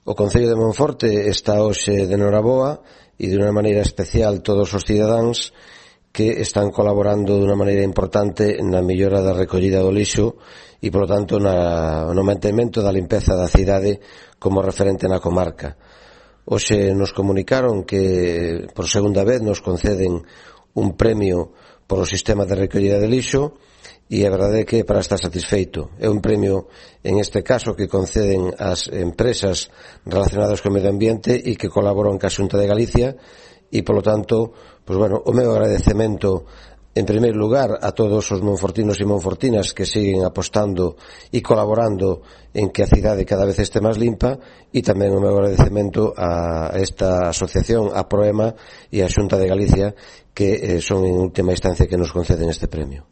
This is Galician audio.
O Concello de Monforte está hoxe de noraboa e de unha maneira especial todos os cidadáns que están colaborando de unha maneira importante na mellora da recollida do lixo e, polo tanto, no mantemento da limpeza da cidade como referente na comarca. Hoxe nos comunicaron que por segunda vez nos conceden un premio por o sistema de recollida de lixo e a verdade é que para estar satisfeito. É un premio, en este caso, que conceden as empresas relacionadas co medio ambiente e que colaboran ca Xunta de Galicia e, polo tanto, o meu agradecemento en primeiro lugar a todos os monfortinos e monfortinas que siguen apostando e colaborando en que a cidade cada vez este máis limpa, e tamén o meu agradecemento a esta asociación, a Proema e a Xunta de Galicia, que son en última instancia que nos conceden este premio.